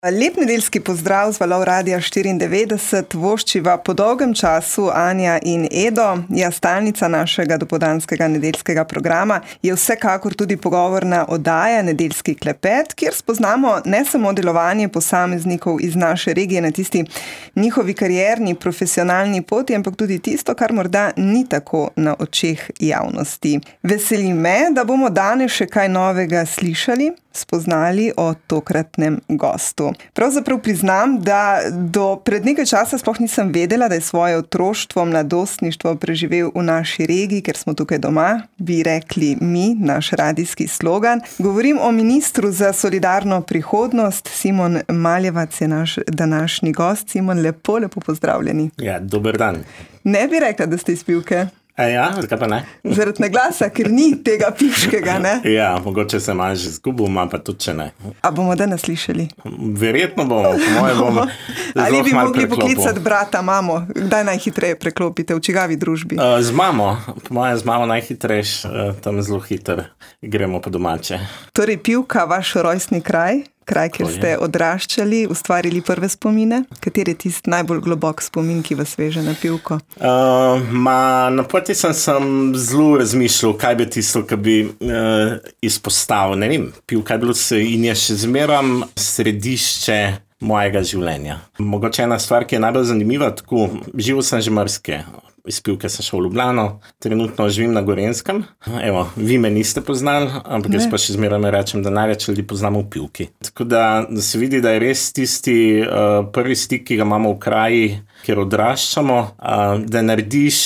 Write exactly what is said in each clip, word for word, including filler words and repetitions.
Lep nedeljski pozdrav z valov Radia štiriindevetdeset, voščiva po dolgem času Anja in Edo. Ja, stalnica našega dopoldanskega nedeljskega programa je vsekakor tudi pogovorna oddaja Nedeljski klepet, kjer spoznamo ne samo delovanje posameznikov iz naše regije na tisti njihovi karierni, profesionalni poti, ampak tudi tisto, kar morda ni tako na očeh javnosti. Veseli me, da bomo danes še kaj novega slišali, spoznali o tokratnem gostu. Pravzaprav priznam, da do pred nekaj časa sploh nisem vedela, da je svoje otroštvo, mladostništvo preživel v naši regiji, ker smo tukaj doma, bi rekli mi, naš radijski slogan. Govorim o ministru za solidarno prihodnost, Simon Maljevac je naš današnji gost. Simon, lepo, lepo pozdravljeni. Ja, dober dan. Ne bi rekla, da ste iz Pivke? A ja, zakaj pa ne? Zaradi naglasa, ker ni tega pivškega, ne? Ja, mogoče se malo že zgubil, ima pa tudi če ne. A bomo danes slišali? Verjetno bomo, po moje bomo. Ali bi mogli poklicati brata, mamo? Kdaj najhitreje preklopite, v čigavi družbi? Uh, z mamo, po moje z mamo najhitrejš, uh, tam zelo hiter gremo po domače. Torej Pivka, vaš rojstni kraj? Kraj, kjer ste odraščali, ustvarili prve spomine? Kateri je tisti najbolj globok spomin, ki vas veže na Pivko? Uh, ma, na poti sem, sem zelo razmišljal, kaj bi tisto, kaj bi uh, izpostavil. Ne vem, Pivka je bilo se in je še zmeram središče mojega življenja. Mogoče ena stvar, ki je najbolj zanimiva, tako živel sem že marsikje. Iz Pivke sem šel v Ljubljano, trenutno živim na Gorenskem. Evo, vi me niste poznali, ampak jaz pa še zmeraj rečem, da največ ljudi poznamo v Pivki. Tako da, da se vidi, da je res tisti uh, prvi stik, ki ga imamo v kraji, kjer odraščamo, uh, da narediš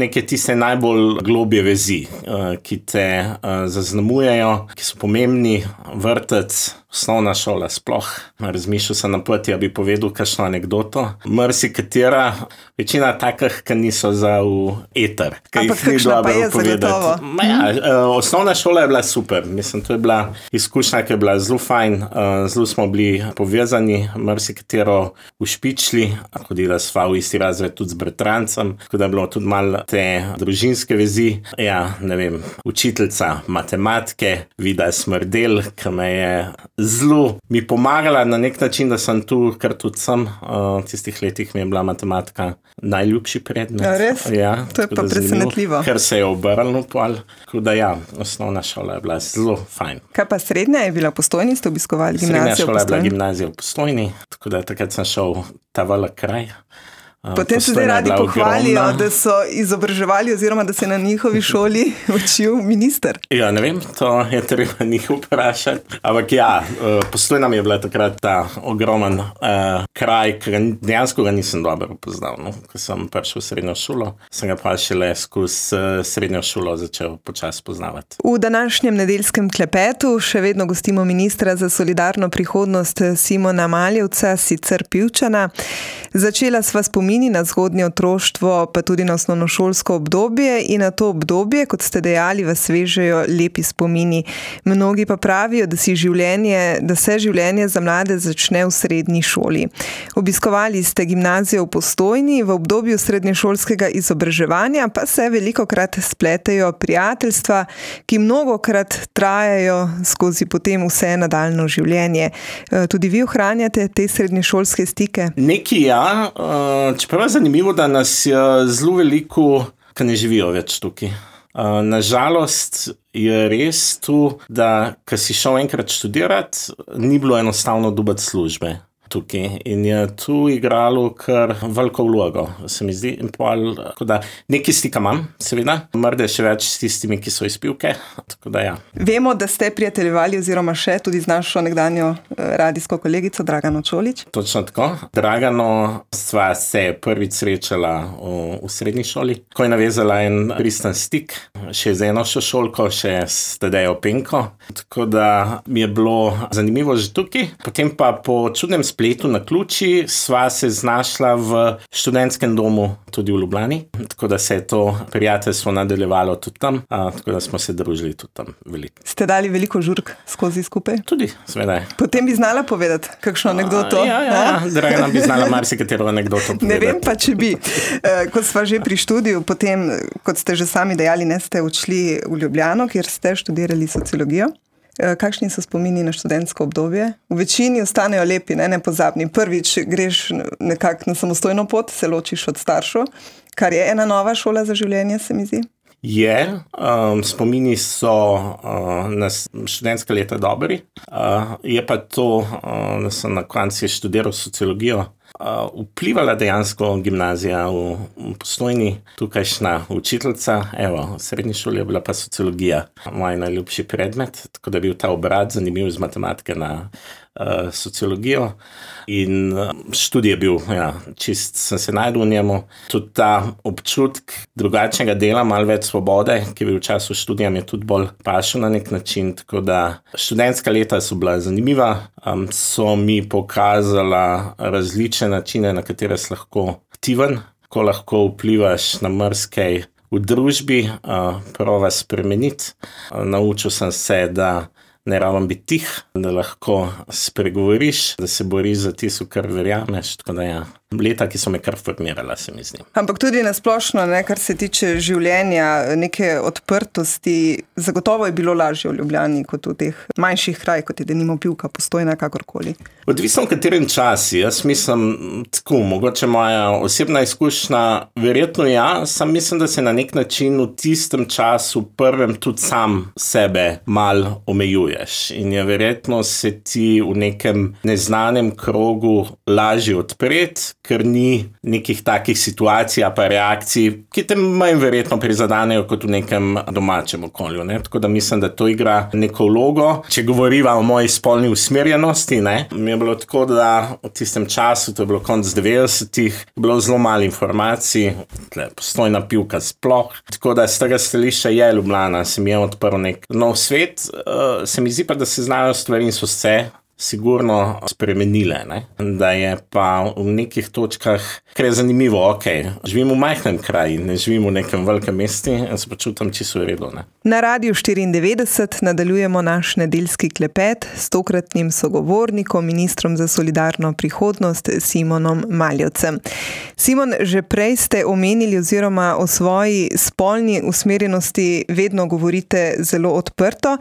neke tiste najbolj globje vezi, uh, ki te uh, zaznamujejo, ki so pomembni, vrtec, osnovna šola sploh. Razmišljal sem na poti, da bi povedal kakšno anekdoto. Mrsi katera, večina takih, ki niso za v eter. Ampak kakšna pa je zagotovo? Ja, osnovna šola je bila super. Mislim, to je bila izkušnja, ki je bila zelo fajn. Zelo smo bili povezani, mrsi katero ušpičili. Hodila sva v isti razred tudi z bratrancem, tako da je bilo tudi malo te družinske vezi. Ja, ne vem, učiteljica matematike, Vida Smrdel, ki me je zelo mi pomagala na nek način, da sem tu, kar tudi sem. V tistih letih mi je bila matematika najljubši predmet. Ja, res? Ja, to je pa presenetljivo. Ker se je obrnilo pol. Tako da ja, osnovna šola je bila zelo fajn. Kaj pa srednja je bila v Postojni? Ste obiskovali gimnazijo v Postojni? Srednja šola je bila gimnazija v Postojni, tako da takrat sem šel ta velik kraj. Potem se zdaj radi pohvalijo, da so izobraževali oziroma da se na njihovi šoli učil minister. Ja, ne vem, to je treba njih vprašati. Ampak ja, Postojna mi je bila takrat ta ogromen uh, kraj, ki dejansko ga nisem dobro poznal. No? Ko sem prišel v srednjo šolo, sem ga pa šele skozi srednjo šolo začel počasi poznavati. V današnjem nedeljskem klepetu še vedno gostimo ministra za solidarno prihodnost Simona Maljevca, sicer Pivčana. Začela sva spomini na zgodnje otroštvo, pa tudi na osnovnošolsko obdobje in na to obdobje, kot ste dejali, vas vežejo lepi spomini. Mnogi pa pravijo, da, si življenje, da se življenje za mlade začne v srednji šoli. Obiskovali ste gimnazijo v Postojni, v obdobju srednješolskega izobraževanja pa se velikokrat spletejo prijateljstva, ki mnogokrat trajajo skozi potem vse nadaljno življenje. Tudi vi ohranjate te srednješolske stike? Neki ja. Uh, čeprav je zanimivo, da nas je zelo veliko, ki ne živijo več tukaj. Uh, nažalost je res tu, da ko si šel enkrat študirati, ni bilo enostavno dobiti službe tukaj. In je tu igralo kar veliko vlogo, se mi zdi. In pol, tako da nekaj stika imam, seveda. Morda še več s tistimi, ki so iz Pivke. Tako da ja. Vemo, da ste prijateljevali oziroma še tudi z našo nekdanjo radijsko kolegico Dragano Čolić. Točno tako. Dragano sva se prvič srečala v, v srednji šoli, ko je navezala en pristen stik, še z eno šolko, še s Tadejo Penko. Tako da mi je bilo zanimivo že tukaj. Potem pa po čudnem spletu na ključi sva se znašla v študentskem domu tudi v Ljubljani. Tako da se je to prijateljstvo nadaljevalo tudi tam, a, tako da smo se družili tudi tam veliko. Ste dali veliko žurk skozi skupaj? Tudi, seveda. Potem bi znala povedati kakšno anekdoto. A, ja, ja, ja. Dragana bi znala marsikatero anekdoto povedati. Ne vem pa, če bi. Ko sva že pri študiju, potem, kot ste že sami dejali, ne ste odšli v Ljubljano, kjer ste študirali sociologijo. Kakšni so spomini na študentsko obdobje? V večini ostanejo lepi, ne nepozabni. Prvič greš nekako na samostojno pot, se ločiš od staršev, kar je ena nova šola za življenje, se mi zdi. Je, um, spomini so uh, na študentska leta dobri, uh, je pa to, uh, da sem na koncu študiral sociologijo, uh, vplivala dejansko gimnazija v, v Postojni, tukajšnja učiteljica, evo, v srednji šoli je bila pa sociologija, moj najljubši predmet, tako da je bil ta obrat zanimiv iz matematike na uh, sociologijo. In študij je bil, ja, čist sem se najdel v njemu. Tudi ta občutek drugačnega dela, malo več svobode, ki je bil v času študija, mi je tudi bolj pašel na nek način. Tako da študentska leta so bila zanimiva, um, so mi pokazala različne načine, na katere si lahko aktiven, ko lahko vplivaš na marsikaj v družbi, uh, prova spremeniti. Uh, naučil sem se, da ne rabim biti tih, da lahko spregovoriš, da se boriš za tisto, kar verjameš, tako da ja, leta, ki so me kar formirala, se mi zdi. Ampak tudi nasplošno, ne, kar se tiče življenja, neke odprtosti, zagotovo je bilo lažje v Ljubljani kot v teh manjših krajih, kot je denimo Pivka, Postojna, kakorkoli. Odvisno v katerem času, jaz mislim tako, mogoče moja osebna izkušnja, verjetno ja, sam mislim, da se na nek način v tistem času prvem tudi sam sebe mal omejuješ in je verjetno se ti v nekem neznanem krogu lažje odpreti, ker ni nekih takih situacij pa reakcij, ki te manj verjetno prizadanejo kot v nekem domačem okolju. Ne? Tako da mislim, da to igra neko vlogo. Če govoriva o moji spolni usmerjenosti, ne? Mi je bilo tako, da v tistem času, to je bilo konec devetdesetih, je bilo zelo malo informacij, tle, Postojna, Pivka sploh. Tako da z tega stališča je Ljubljana, se mi je odprl nek nov svet. Uh, se mi zdi pa, da se znajo stvari in so se sigurno spremenile, ne? Da je pa v nekih točkah, kar je zanimivo, ok, živim v majhnem kraju, ne živim v nekem velikem mestu in se počutim čisto v redu. Ne? Na Radiu štiriindevetdeset nadaljujemo naš nedeljski klepet s tokratnim sogovornikom, ministrom za solidarno prihodnost Simonom Maljevcem. Simon, že prej ste omenili oziroma o svoji spolni usmerjenosti vedno govorite zelo odprto.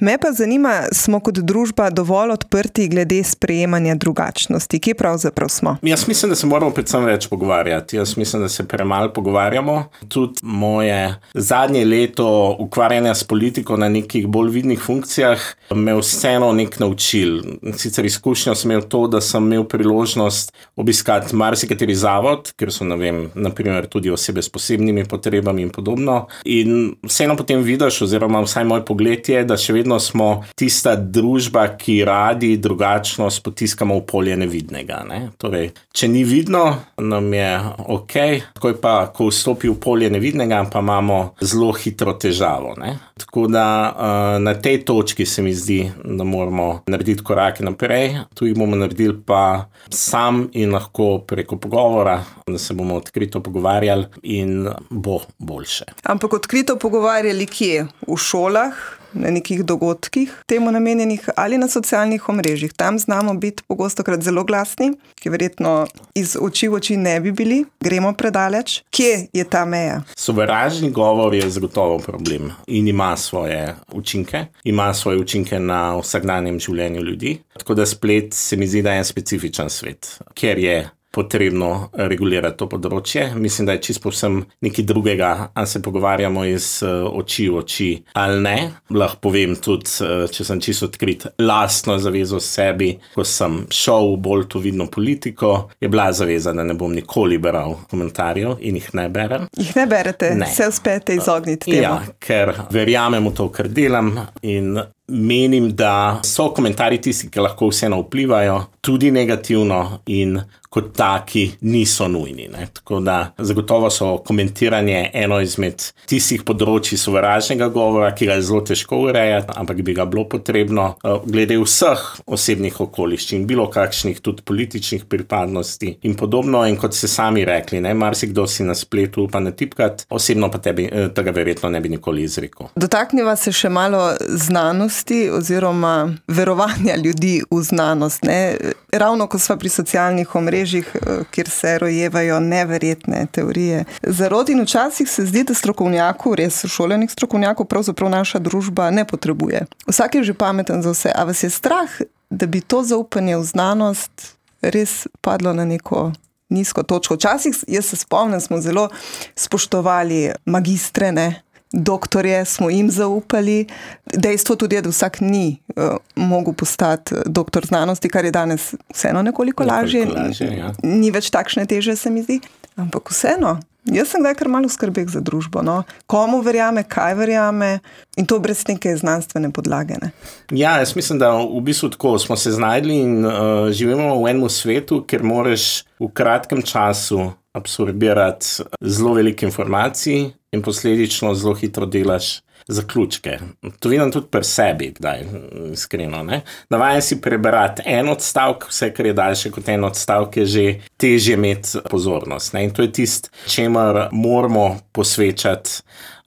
Me pa zanima, smo kot družba dovolj odprti glede sprejemanja drugačnosti? Kje pravzaprav smo? Jaz mislim, da se moramo predvsem več pogovarjati. Jaz mislim, da se premalo pogovarjamo. Tudi moje zadnje leto ukvarjanja s politiko na nekih bolj vidnih funkcijah me vseeno nek naučil. Sicer izkušnjo sem imel to, da sem imel priložnost obiskati marsikateri zavod, ker so, ne vem, naprimer tudi osebe s posebnimi potrebami in podobno. In vseeno potem vidiš, oziroma vsaj moj pogled je, da še vedno smo tista družba, ki radi drugačnost potiskamo v polje nevidnega. Ne? Torej, če ni vidno, nam je ok, takoj pa, ko vstopi v polje nevidnega, pa imamo zelo hitro težavo. Ne? Tako da na tej točki se mi zdi, da moramo narediti korake naprej. Tu jih bomo naredili pa sam in lahko preko pogovora, da se bomo odkrito pogovarjali in bo boljše. Ampak odkrito pogovarjali kje? V šolah? Na nekih dogodkih temu namenjenih ali na socialnih omrežjih. Tam znamo biti pogostokrat zelo glasni, ki verjetno iz oči v oči ne bi bili. Gremo predaleč. Kje je ta meja? Sovražni govor je zagotovo problem in ima svoje učinke. Ima svoje učinke na vsakdanjem življenju ljudi. Tako da splet se mi zdi, da je specifičen svet, ker je potrebno regulirati to področje. Mislim, da je čisto povsem nekaj drugega, ali se pogovarjamo iz oči v oči ali ne. Lahko povem tudi, če sem čisto odkrit, lastno zavezo sebi, ko sem šel v bolj to vidno politiko, je bila zaveza, da ne bom nikoli beral komentarjev in jih ne berem. Jih ne berete? Ne. Se uspete izogniti temu? Ja, ker verjamem v to, kar delam in menim, da so komentarji tisti, ki lahko vseeno vplivajo, tudi negativno in kot taki niso nujni. Ne? Tako da zagotovo so komentiranje eno izmed tistih področji sovražnega govora, ki ga je zelo težko urejati, ampak bi ga bilo potrebno glede vseh osebnih okoliščin, bilo kakšnih tudi političnih pripadnosti in podobno. In kot ste sami rekli, ne, marsikdo si na spletu upa natipkati, osebno pa tebi, tega verjetno ne bi nikoli izrekel. Dotakniva se še malo znanosti. znanosti oziroma verovanja ljudi v znanost. Ne? Ravno ko sva pri socialnih omrežjih, kjer se rojevajo neverjetne teorije zarot, in včasih se zdi, da strokovnjakov, res šolenih strokovnjakov, pravzaprav naša družba ne potrebuje. Vsak je že pameten za vse. A vas je strah, da bi to zaupanje v znanost res padlo na neko nizko točko? Včasih, jaz se spomnim, smo zelo spoštovali magistre, ne? Doktorje smo jim zaupali. Dejstvo tudi je, da vsak ni uh, mogel postati doktor znanosti, kar je danes vseeno nekoliko, nekoliko lažje. lažje ja. Ni več takšne teže, se mi zdi. Ampak vseeno, jaz sem kdaj kar malo skrbek za družbo. No? Komu verjame, kaj verjame, in to brez neke znanstvene podlage. Ne? Ja, jaz mislim, da v bistvu tako smo se znajdli in uh, živimo v enem svetu, ker moraš v kratkem času absorbirati zelo veliko informacij in posledično zelo hitro delaš zaključke. To vidim tudi pri sebi, kdaj, iskreno. Ne? Navajen si preberati en odstavek, vse, kar je daljše kot en odstavek, je že težje imeti pozornost. Ne? In to je tisto, čemer moramo posvečati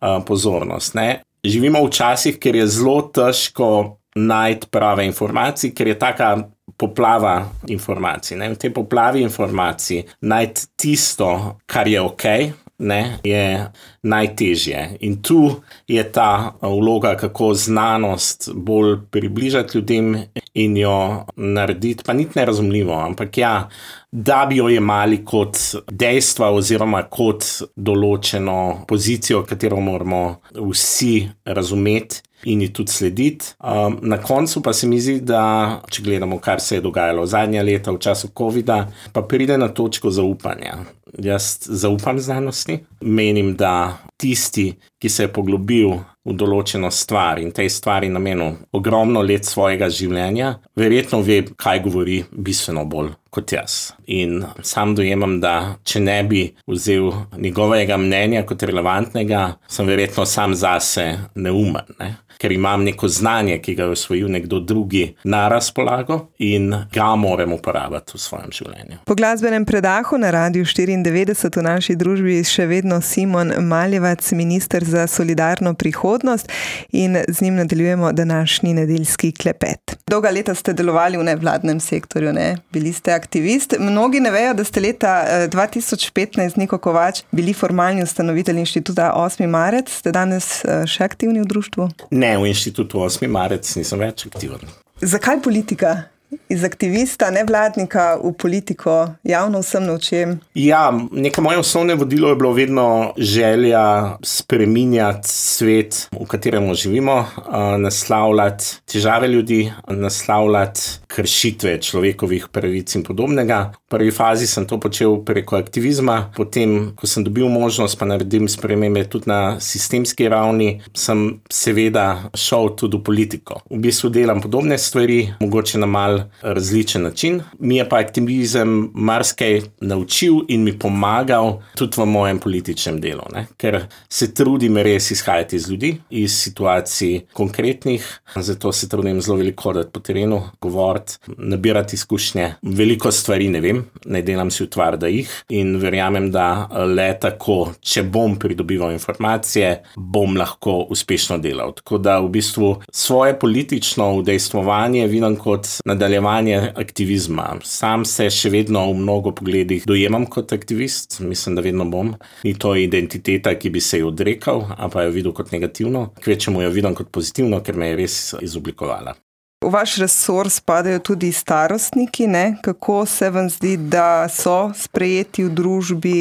uh, pozornost. Ne? Živimo v časih, kjer je zelo težko najti prave informacije, ker je taka poplava informacij. Ne? V tej poplavi informacij najti tisto, kar je okej, ne, je najtežje. In tu je ta vloga, kako znanost bolj približati ljudem in jo narediti, pa niti nerazumljivo, ampak ja, da bi jo jemali kot dejstva oziroma kot določeno pozicijo, katero moramo vsi razumeti in ji tudi slediti. Um, na koncu pa se mi zdi, da, če gledamo, kar se je dogajalo zadnja leta v času covida, pa pride na točko zaupanja. Jaz zaupam znanosti. Menim, da tisti, ki se je poglobil v določeno stvar in tej stvari namenil ogromno let svojega življenja, verjetno ve, kaj govori bistveno bolj kot jaz. In sam dojemam, da če ne bi vzel njegovega mnenja kot relevantnega, sem verjetno sam zase neumen, ne? Ker imam neko znanje, ki ga je osvojil nekdo drugi na razpolago in ga moram uporabiti v svojem življenju. Po glasbenem predahu na Radiu štiriindevetdeset v naši družbi še vedno Simon Maljevac, minister za solidarno prihodnost, in z njim nadaljujemo današnji nedeljski klepet. Dolga leta ste delovali v nevladnem sektorju, ne? Bili ste aktivist. Mnogi ne vejo, da ste leta dva tisoč petnajst, Niko Kovač, bili formalni ustanovitelj inštituta osmi marec. Ste danes še aktivni v društvu? Ne, v inštitutu osmi marec nisem več aktiven. Zakaj politika? Iz aktivista, nevladnika v politiko, javno vsem očem? Ja, neko moje osnovne vodilo je bilo vedno želja spreminjati svet, v katerem živimo, naslavljati težave ljudi, naslavljati kršitve človekovih pravic in podobnega. V prvi fazi sem to počel preko aktivizma, potem, ko sem dobil možnost, pa naredim spremembe tudi na sistemski ravni, sem seveda šel tudi v politiko. V bistvu delam podobne stvari, mogoče na mal različen način. Mi je pa aktivizem marsikaj naučil in mi pomagal tudi v mojem političnem delu, ne? Ker se trudim res izhajati iz ljudi, iz situacij konkretnih, zato se trudim zelo veliko hoditi po terenu, govoriti, nabirati izkušnje. Veliko stvari ne vem, ne delam si utvar, da jih, in verjamem, da le tako, če bom pridobival informacije, bom lahko uspešno delal. Tako da v bistvu svoje politično udejstvovanje vidim kot nadaljevanje aktivizma. Sam se še vedno v mnogo pogledih dojemam kot aktivist, mislim, da vedno bom. Ni to identiteta, ki bi se jo odrekal, ampak jo videl kot negativno. Kvečemu jo vidim kot pozitivno, ker me je res izoblikovala. V vaš resor spadajo tudi starostniki, ne? Kako se vam zdi, da so sprejeti v družbi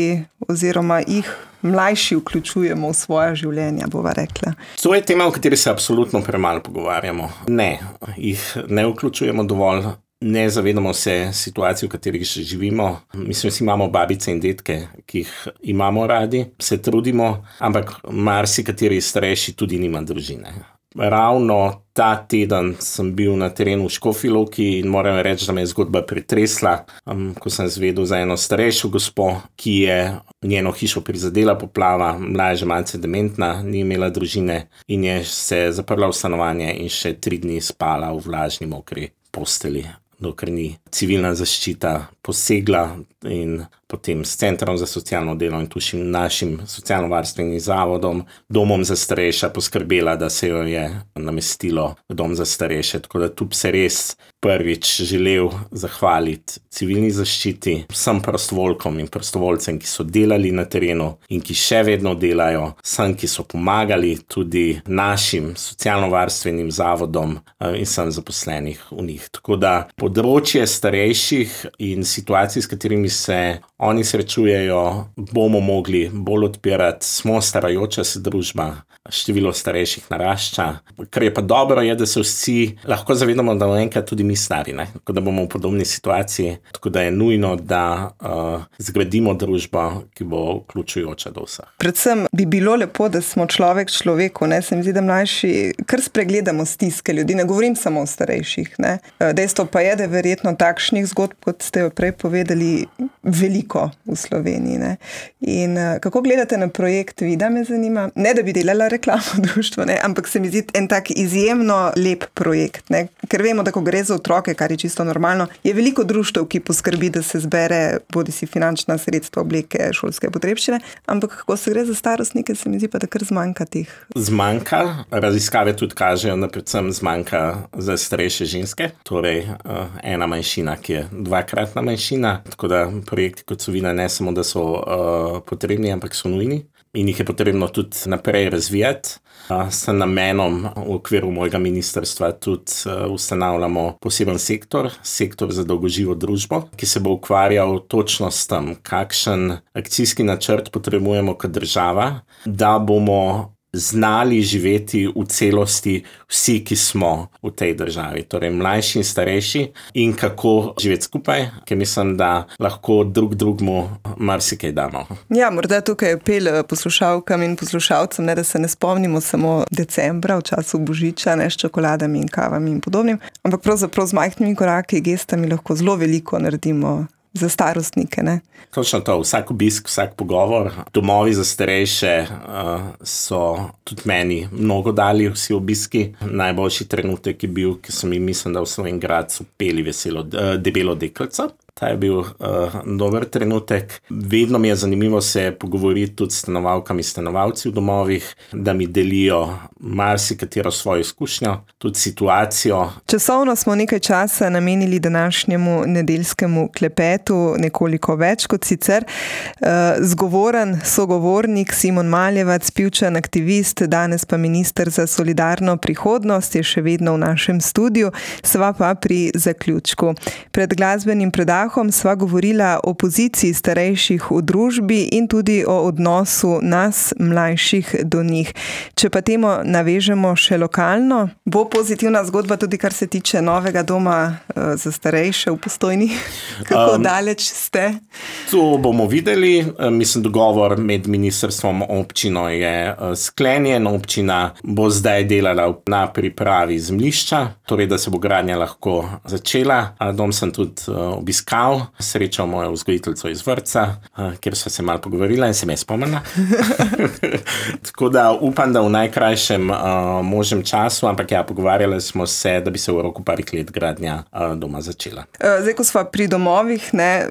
oziroma jih mlajši vključujemo v svoja življenja, bova rekla? To je tema, o kateri se absolutno premalo pogovarjamo. Ne, jih ne vključujemo dovolj. Ne zavedamo se situacij, v katerih še živimo. Mislim, si imamo babice in detke, ki jih imamo radi, se trudimo, ampak marsikateri starejši tudi nima družine. Ravno ta teden sem bil na terenu v Škofji Loki in moram reči, da me je zgodba pretresla, um, ko sem zvedel za eno starejšo gospo, ki je njeno hišo prizadela poplava, mlada že malce dementna, ni imela družine in je se zaprla v stanovanje in še tri dni spala v vlažni mokri posteli, dokler ni civilna zaščita posegla in potem s Centrom za socialno delo in tušim našim socialno-varstvenim zavodom, domom za starejše poskrbela, da se jo je namestilo v dom za starejše. Tako da tu bi se res prvič želel zahvaliti civilni zaščiti, vsem prostovoljkom in prostovoljcem, ki so delali na terenu in ki še vedno delajo, vsem, ki so pomagali tudi našim socialno-varstvenim zavodom in vsem zaposlenih v njih. Tako da področje starejših in situacij, s katerimi se oni srečujejo, bomo mogli bolj odpirati. Smo starajoča se družba, število starejših narašča. Kar je pa dobro, je, da se vsi lahko zavedamo, da bomo enkrat tudi mi stari, ne? Tako da bomo v podobni situaciji, tako da je nujno, da uh, zgradimo družbo, ki bo vključujoča do vseh. Predvsem bi bilo lepo, da smo človek človeku, ne? Se mi zdi, da mlajši kar spregledamo stiske ljudi, ne govorim samo o starejših, ne? Dejstvo pa je, da je verjetno takšnih zgodb, kot ste jo prej povedali, veliko v Sloveniji, ne? In uh, kako gledate na projekt Vida, me zanima? Ne, da bi delala reklamo društvo, ne? Ampak se mi zdi en tak izjemno lep projekt, ne? Ker vemo, da ko gre za otroke, kar je čisto normalno, je veliko društev, ki poskrbi, da se zbere bodi si finančna sredstva, obleke, šolske potrebščine, ampak kako se gre za starostnike, se mi zdi pa, da kar zmanjka teh. Zmanjka, raziskave tudi kažejo, da predvsem zmanjka za starejše ženske, torej uh, ena manjšina, ki je dvakratna manjšina, tako da projekti kot so Vida ne samo, da so uh, potrebni, ampak so nujni in jih je potrebno tudi naprej razvijati. Uh, s namenom v okviru mojega ministrstva tudi uh, ustanavljamo poseben sektor, sektor za dolgoživo družbo, ki se bo ukvarjal točno s tem, kakšen akcijski načrt potrebujemo kot država, da bomo znali živeti v celosti vsi, ki smo v tej državi, torej mlajši in starejši, in kako živeti skupaj, ker mislim, da lahko drug drugmu marsikaj damo. Ja, morda tukaj apel poslušalkam in poslušalcem, ne, da se ne spomnimo samo decembra, v času božiča, ne, s čokoladami in kavami in podobnim, ampak pravzaprav z majhnimi koraki, gestami lahko zelo veliko naredimo za starostnike, ne? Točno to, vsak obisk, vsak pogovor. Domovi za starejše uh, so tudi meni mnogo dali vsi obiski. Najboljši trenutek je bil, ki sem jim mislim, da v Slovenj Gradcu peli veselo uh, debelo deklico. Ta je bil uh, dober trenutek. Vedno mi je zanimivo se pogovoriti tudi s stanovalkami, stanovalci v domovih, da mi delijo marsikatero svojo izkušnjo, tudi situacijo. Časovno smo nekaj časa namenili današnjemu nedeljskemu klepetu, nekoliko več kot sicer. Uh, zgovoren sogovornik Simon Maljevac, Pivčan aktivist, danes pa minister za solidarno prihodnost, je še vedno v našem studiu, sva pa pri zaključku. Pred glasbenim predahom sva govorila o poziciji starejših v družbi in tudi o odnosu nas, mlajših, do njih. Če pa temo navežemo še lokalno, bo pozitivna zgodba tudi, kar se tiče novega doma uh, za starejše v Postojni. Kako um, daleč ste? To bomo videli. Mislim, dogovor med ministrstvom in občino je uh, sklenjen. Občina bo zdaj delala na pripravi zemljišča, torej da se bo gradnja lahko začela. Dom sem tudi uh, obiskal. Srečal mojo vzgojiteljico iz vrtca, kjer sva se malo pogovorila in se me spomnila. Tako da upam, da v najkrajšem uh, možnem času, ampak ja, pogovarjali smo se, da bi se v roku parih let gradnja uh, doma začela. Zdaj, ko sva pri domovih, ne,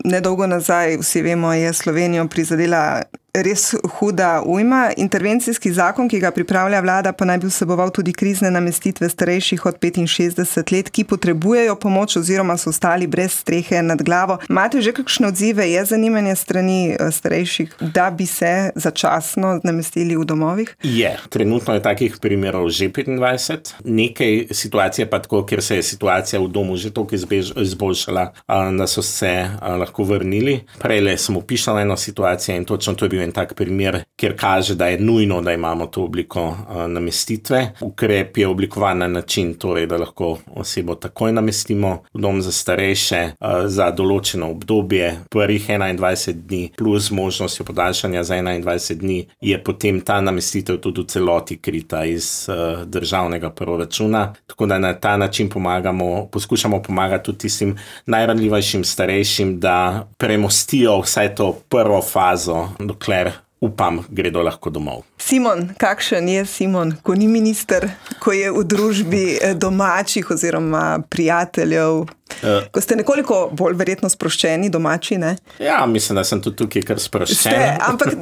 nedolgo nazaj, vsi vemo, je Slovenijo prizadela res huda ujma. Intervencijski zakon, ki ga pripravlja vlada, pa naj bi vseboval tudi krizne namestitve starejših od petinšestdeset let, ki potrebujejo pomoč oziroma so ostali brez strehe nad glavo. Imate že kakšne odzive? Je zanimanje strani starejših, da bi se začasno namestili v domovih? Je. Trenutno je takih primerov že petindvajset. Nekaj situacije pa tako, ker se je situacija v domu že toliko izboljšala, da so se lahko vrnili. Prejle sem opisala eno situacijo in točno to je bil en tak primer, kjer kaže, da je nujno, da imamo to obliko uh, namestitve. Ukrep je oblikovan na način, torej, da lahko osebo takoj namestimo v dom za starejše uh, za določeno obdobje, prvih enaindvajset dni plus možnostjo podaljšanja za enaindvajset dni, je potem ta namestitev tudi v celoti krita iz uh, državnega proračuna. Tako da na ta način pomagamo, poskušamo pomagati tudi tistim najranljivejšim starejšim, da premostijo vsaj to prvo fazo, dokler upam, gredo lahko domov. Simon, kakšen je Simon, ko ni minister, ko je v družbi domačih oziroma prijateljev, uh, ko ste nekoliko bolj verjetno sproščeni domači, ne? Ja, mislim, da sem tudi tukaj kar sproščen. Ste, ampak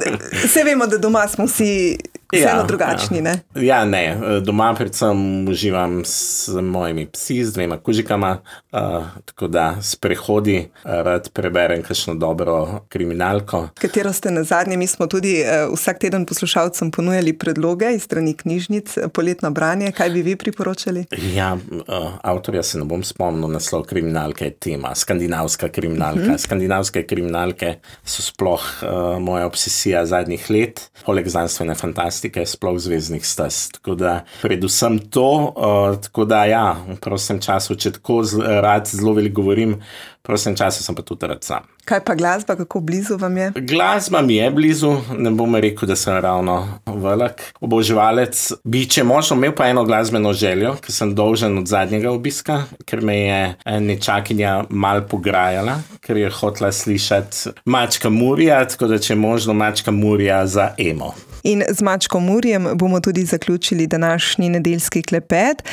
vse vemo, da doma smo vsi vseeno ja, drugačni, ja. ne? Ja, ne. Doma predvsem uživam s mojimi psi, z dvema kužikama, uh, tako da sprehodi rad preberem kakšno dobro kriminalko. Katero ste na zadnje, mi smo tudi uh, vsak teden poslušalcem ponujali predloge iz strani knjižnic, poletno branje, kaj bi vi priporočali? Ja, uh, avtorja se ne bom spomnil, naslov kriminalke je tema, skandinavska kriminalka. Uh-huh. Skandinavske kriminalke so sploh uh, moja obsesija zadnjih let, poleg znanstvene fantastike, sploh zvezdnih stez. Tako da predvsem to, uh, tako da ja, v prostem času, če tako z, rad zelo veliko govorim, v prostem času sem pa tudi rad sam. Kaj pa glasba, kako blizu vam je? Glasba mi je blizu, ne bom rekel, da sem ravno velik oboževalec. Bi, če možno, imel pa eno glasbeno željo, ki sem dolžen od zadnjega obiska, ker me je nečakinja mal pograjala, ker je hotela slišati Mačka Murija, tako da če možno Mačka Murija za emo. In z Mačko Murijem bomo tudi zaključili današnji nedeljski klepet.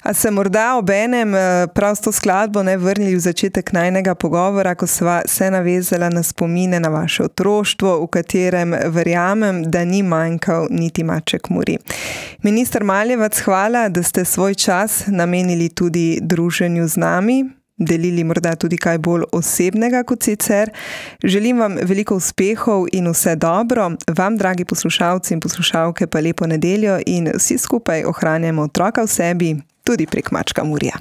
A se morda ob enem prav s to skladbo ne vrnili v začetek najnega pogovora, ko sva se navezala na spomine na vaše otroštvo, v katerem verjamem, da ni manjkal niti Maček Muri. Minister Maljevac, hvala, da ste svoj čas namenili tudi druženju z nami, delili morda tudi kaj bolj osebnega kot sicer. Želim vam veliko uspehov in vse dobro. Vam, dragi poslušalci in poslušalke, pa lepo nedeljo in vsi skupaj ohranjamo otroka v sebi, tudi prek Mačka Murija.